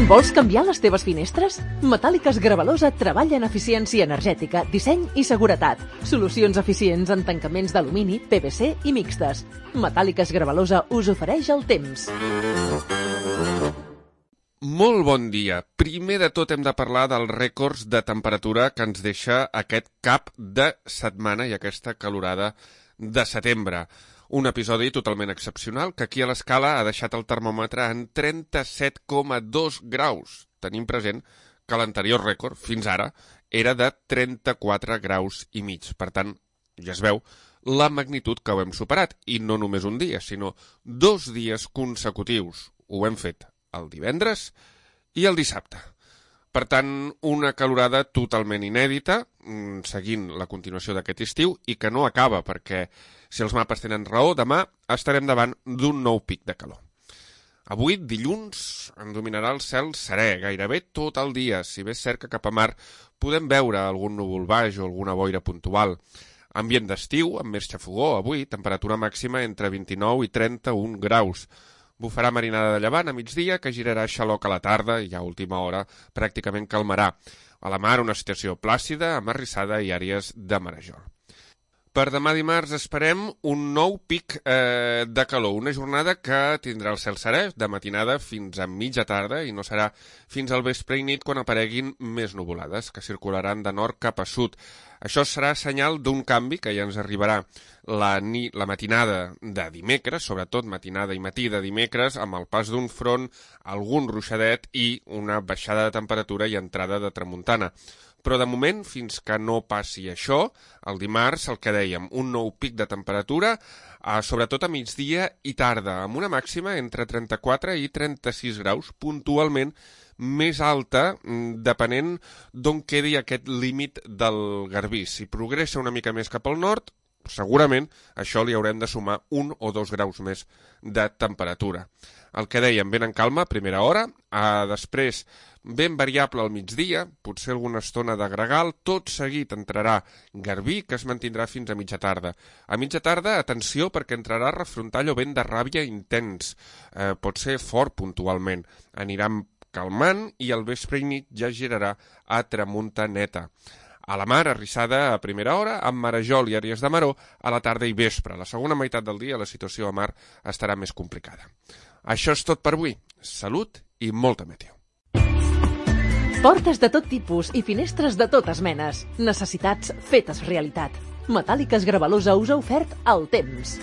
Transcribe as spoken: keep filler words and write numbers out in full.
Vols canviar les teves finestres? Metàl·liques Gravalosa treballa en eficiència energètica, disseny i seguretat. Solucions eficients en tancaments d'alumini, P V C i mixtes. Metàl·liques Gravalosa us ofereix el temps. Molt bon dia. Primer de tot hem de parlar dels rècords de temperatura que ens deixa aquest cap de setmana i aquesta calorada de setembre. Un episodi totalment excepcional que aquí a l'escala ha deixat el termòmetre en trenta-set coma dos graus. Tenim present que l'anterior rècord, fins ara, era de trenta-quatre graus i mig. Per tant, ja es veu la magnitud que ho hem superat. I no només un dia, sinó dos dies consecutius. Ho hem fet el divendres i el dissabte. Per tant, una calorada totalment inèdita, seguint la continuació d'aquest estiu, i que no acaba, perquè, si els mapes tenen raó, demà estarem davant d'un nou pic de calor. Avui, dilluns, en dominarà el cel serè, gairebé tot el dia, si bé és cert que cap a mar podem veure algun núvol baix o alguna boira puntual. Ambient d'estiu, amb més xafogó, avui, temperatura màxima entre vint-i-nou i trenta-un graus. Bufarà marinada de llevant a migdia, que girarà xaloc a la tarda i a última hora pràcticament calmarà. A la mar una situació plàcida, amarrissada i àrees de marejol. Per demà dimarts esperem un nou pic eh, de calor, una jornada que tindrà el cel serè de matinada fins a mitja tarda i no serà fins al vespre i nit quan apareguin més nuvolades, que circularan de nord cap a sud. Això serà senyal d'un canvi que ja ens arribarà la, ni, la matinada de dimecres, sobretot matinada i matí de dimecres, amb el pas d'un front, algun ruixadet i una baixada de temperatura i entrada de tramuntana. Però de moment, fins que no passi això, el dimarts, el que dèiem, un nou pic de temperatura, eh, sobretot a migdia i tarda, amb una màxima entre trenta-quatre i trenta-sis graus, puntualment més alta, depenent d'on quedi aquest límit del Garbí. Si progressa una mica més cap al nord, segurament això li haurem de sumar un o dos graus més de temperatura. El que dèiem, ben en calma, a primera hora, eh, després ben variable al migdia, potser alguna estona de gregal, tot seguit entrarà Garbí, que es mantindrà fins a mitja tarda. A mitja tarda, atenció, perquè entrarà refrontall o vent de ràbia intens, eh, pot ser fort puntualment, anirà calmant i al vespre i nit ja girarà a tramuntaneta. A la mar, arrissada a primera hora, amb marejol i àrees de maró, a la tarda i vespre. A la segona meitat del dia la situació a mar estarà més complicada. Això és tot per avui. Salut i molta meteo. Portes de tot tipus i finestres de totes menes. Necessitats fetes realitat. Metàl·liques Gravalosa us ha ofert el temps.